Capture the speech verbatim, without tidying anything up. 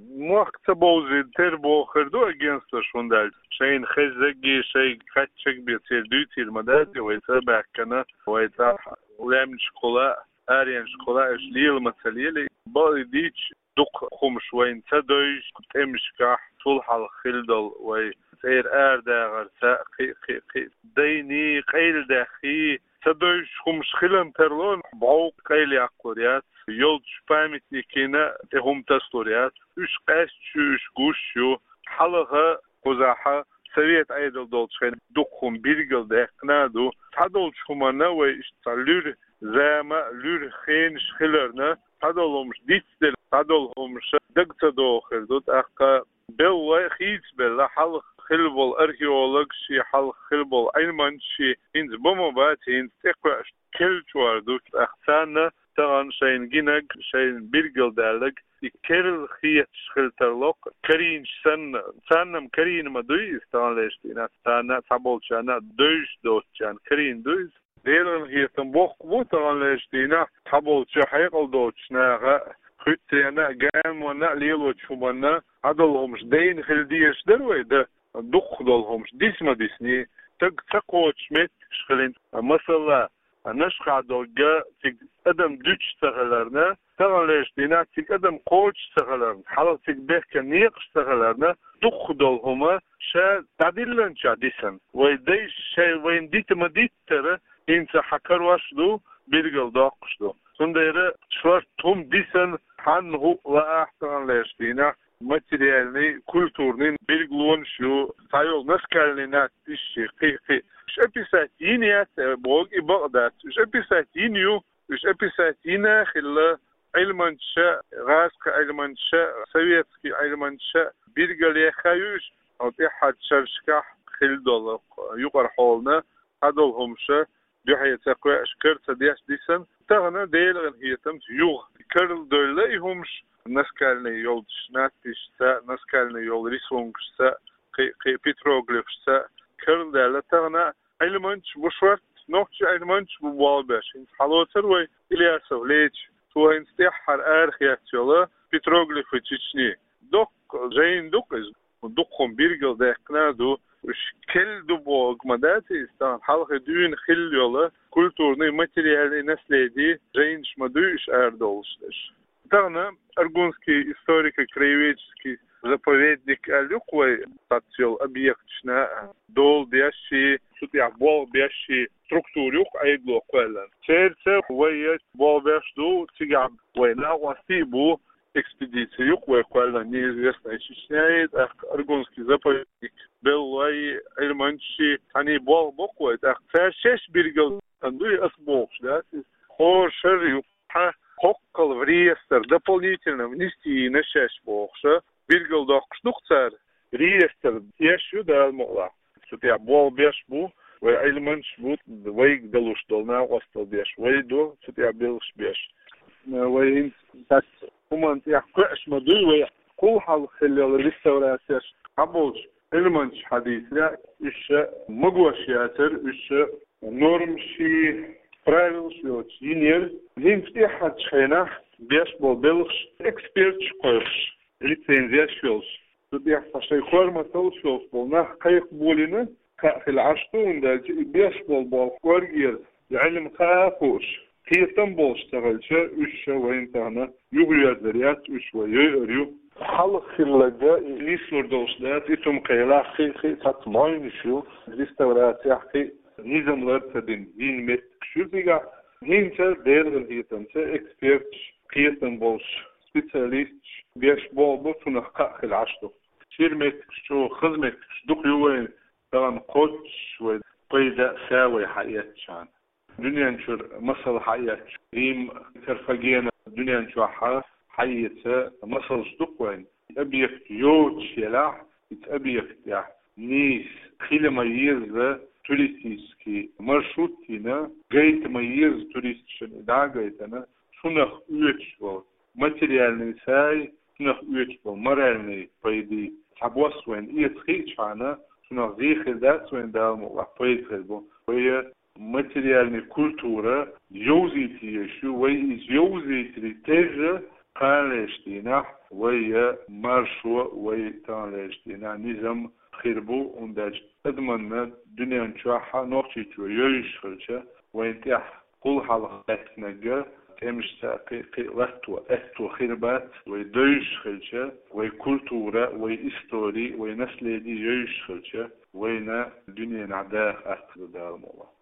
Мохк ца бовзийта тера бохур ду агентствош, хӀунда аьлча шайна хеззагги, шайга хаттаргби церан дуьйцийла ма дац, вай цӀа баьхкина, вай цӀахь лаьмнашкахула, аренашкахула уьш лела ма ца лелий. Бакъ дийцича, дукха хӀумаш вайна ца девзаш, тӀемашкахь, цул хьалха хилла долу вай цӀера арадахарца, кхин а, кхин а, кхин а дайний, къайладаьхний, ца девзаш хӀумаш хиларна тарло, бӀов къайлаяккхалур яц, йолчу памятникийн тӀе хӀума тасалур яц. Уьш къаьсташ ю, уьш гуш ю. Хьалха, кхузахь, совет Ӏедал долчу хенахь дукха хӀума билгалдаьккхина а ду. Цхьадолчу хӀуманна вай иштта цхьа луьра зама, луьра хенаш хиларна, цхьадолу хӀумаш дицделла, цхьадолу хӀумаш дага ца догӀу хир ду, тӀаккха белла, хийцабелла, хьалха хилла болу археологаш, хьалха хилла болу Ӏилманчаш, хӀинца бан ма бац, хӀинца тӀекхуьуш керла чкъор ду, тӀаккха царна тахана шайна гинарг, шайна билгалдаьлларг, и керла хеташ хила тарло-кх, карийначу санна, царна-м карийна ма дуй иза, таханлерчу дийнахь, царна а, цхьаболчарна а, девзаш доцучарна карийна ду иза. Делан хетам боккха бу, таханлерчу дийнахь, цхьаболчу хьекъал доцучу наха, хуьттаренна а, гаьнанна а лелочу хӀуманна, цхьадолу хӀумаш дайна хила дезаш дара вай, дан, дукхах долу хӀумаш диса ма дисний, стаг ца кхочуш меттигаш хилийна, масала, Нашха догга цига адам дуьтуш ца хиларна, таханлерчу дийнахь цига адам кхочуш ца хиларна, хьалха цига бехкан некъаш ца хиларна, дукхах долу хӀума ша дӀадиллинчохь дисна. Вай дайша шайн вайна дита ма-диттара, хӀинца хьан карош ду, билгалдоккхуш ду. Цундела шортта хӀума дисна, хьанна хӀуъа лаахь таханлерчу дийнахь, материальный, культурный билгалонаш ю, цхьайолу наскальный надписаш, кхин а, кхин а. Уьш описать йина яц, э, бохург и бакъ дац. Уьш описать йина ю, уьш описать йина а хилла, Ӏилманчаша, гӀазкхи Ӏилманчаша, советский Ӏилманчаша билгалъяьхна ю уьш, хьо тӀаьххьарчу шерашкахь хилла долу юкъара хьолана, цхьадолу хӀумаша дуьхье ца кхоьуш, кара ца деш дисна, тахана Делан хетамца юха карладевлла и хӀумаш, наскальный йолчу надписашца, наскальный йолу рисункашца, кхин, кхин петроглифашца карладаьлла. Тахана Ӏилманчаш бу шортта, нохчийн Ӏилманчаш бу болх беш. ХӀинца хьалоцура вай Ильясов Леча, цо хӀинца тӀаьххьара арахецна йолу петроглифы Чечни. Доккха жайна ду-кх иза. Дукха хӀума билгалдаьккхина а ду, уьш керла ду бохург ма дац иза, тахана хьалха дуьйна хилла йолу культурный, материальный наследие жайнаш ма дуй уьш арадовлуш дерш. Тахана Аргунский историко-краеведческий заповедник аьлла ю-кх вай, цхьацца йолу объекташна дола деш, цу тӀехь болх беш структура ю-кх Ӏедало кхоьллина. Цаьрца вай болх беш ду, цигахь вай накъостий а бу, экспедици ю-кх вай кхоьллина, неизвестная Чечня, тӀаккха Аргунский заповедник, беллой, Ӏилманчаш, цхьаьний болх бо-кх вай, тӀаккха цара шаьш билгалдина дуй ас бохуш дац иза. ХӀора шарра ю-кх, хьан кхоккхал в реестр дополнительно внести йина шаьш бохуша, билгалдоккхуш ду-кх цара. Реестр еш ю Дала мукъалахь. Цу тӀехь болх беш бу, вай Ӏилманчаш бу, вайга далуш долу накъостал деш вай ду, цу тӀехь белхаш беш. Вай хӀинца цхьацца хӀуманна тӀехь кхоьуш ма дуй, вай кхул хьалха хилла йолу реставрацеш, цхьаболчу Ӏилманчаша хьадийцарехь, уьш магош яцара, уьш нормаши, правилаши йоцуш йинера. ХӀинца тӀаьххьарчу хенахь беш болу белхаш эксперташ кхойкхуш, лицензеш йолуш. Цу тӀехь цхьа шайн корматаллаш йолуш болу нах кхайкхаболийна, кхаъ хила Ӏаш ду, хӀунда аьлча и беш болу болх кӀоргера, и Ӏилма кхаъ а хууш, кхетам болуш ца хилча, уьш ша вайна тахана юхайоьрзур яц, уьш вай йойур ю. Хьалха хилларг и нислур долуш дац, и цу ма кхелахь, кхин а, кхин а цхьацца мойнаш ю, реставрацехь кхин а низам лар ца дина, йина меттигаш ю цигахь. ХӀинца Делан хетамца эксперташ, кхетам болуш специалисташ беш болу бу, цунах кхаъ хила Ӏаш ду. Шира меттигаш чу, хаза меттигаш дукха ю вайн, тахана кхоччуш вай пайда а са вай хьаэцчахьана. Дуьнен чуьра масал хьаэцча, Рим, Карфагена дуьнен чохь хьаэца масалш дукха вайн. Объект йоцуш елахь, иза объект тӀехь нийса хила ма еза туристический маршрут йина, гайта ма еза туристашна и дӀа а гайтина, цунах оьцуш волу материальный сай, цунах оьцуш болу моральный пайдий цхьабосса вайна эца хиъчахьана, цунах зен хир дац вайн, Дала мукъалахь пайда хир бу. Вай материальный культура йовзийта езаш ю, вай иза йовзийтарий терра Кханалерча дийнахьа вай маршо, вай таханлерча дийнахьа низам хир бу, хӀунда аьлча адамашна дуьнен чохь а Нохчийчоь йовзаш хилча, вайна тӀехь кхул хьалха лаьттинарг тӀемашца кхин а, кхин а латто, аьтто хир бац, вай довзаш хилча, вай культура, вай истори, вай наследи йовзаш хилча, вайна дуьненахь даха атта хир ду, Дала мукъ лахь.